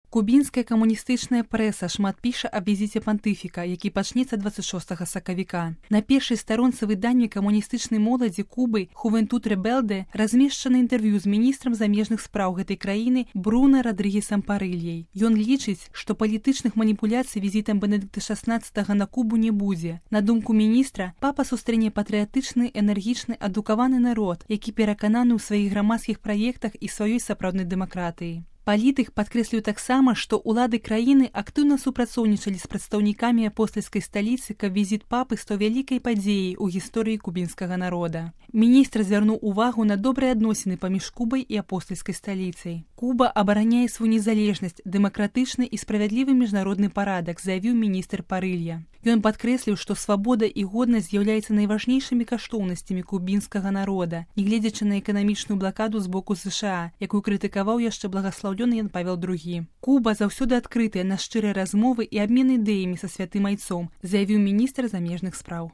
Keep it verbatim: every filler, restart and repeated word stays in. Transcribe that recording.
Кубінская камуністычная прэса шмат піша аб візіце пантыфіка, які пачнецца дваццаць шостага сакавіка. На першай старонцы выдання камуністычнай моладзі Кубы «Хувентуд Ребелде» размешчана інтэрв'ю з міністрам замежных спраў гэтай краіны Бруна Радрыгесам Парыльяй. Ён лічыць, што палітычных маніпуляцый візітам Бенедыкта шаснаццатага на Кубу не будзе. На думку міністра, папа сустрэне патрыятычны, энергічны, адукаваны народ, які перакананы ў сваіх грамадскіх праектах і сваёй сапраўднай дэмакратыі. Палітык падкрэсліў таксама, што ўлады краіны актыўна супрацоўнічалі з прадстаўнікамі апостальскай сталіцы, каб візіт папы стаў вялікай падзеяй у гісторыі кубінскага народа. Міністр звярнуў увагу на добрыя адносіны паміж Кубай і апостальскай сталіцай. Куба абараняе сваю незалежнасць, дэмакратычны і справядлівы міжнародны парадак, заявіў міністр Парылья. Ён падкрэсліў, што свабода і годнасць з'яўляюцца найважнейшымі каштоўнасцямі кубінскага народа, нягледзячы на эканамічную блакаду з боку ЗША, якую крытыкаваў яшчэ благаслаўлёны Ян Павел другі. Куба заўсёды адкрытая на шчырыя размовы і абмен ідэямі са святым айцом, заявіў міністр замежных спраў.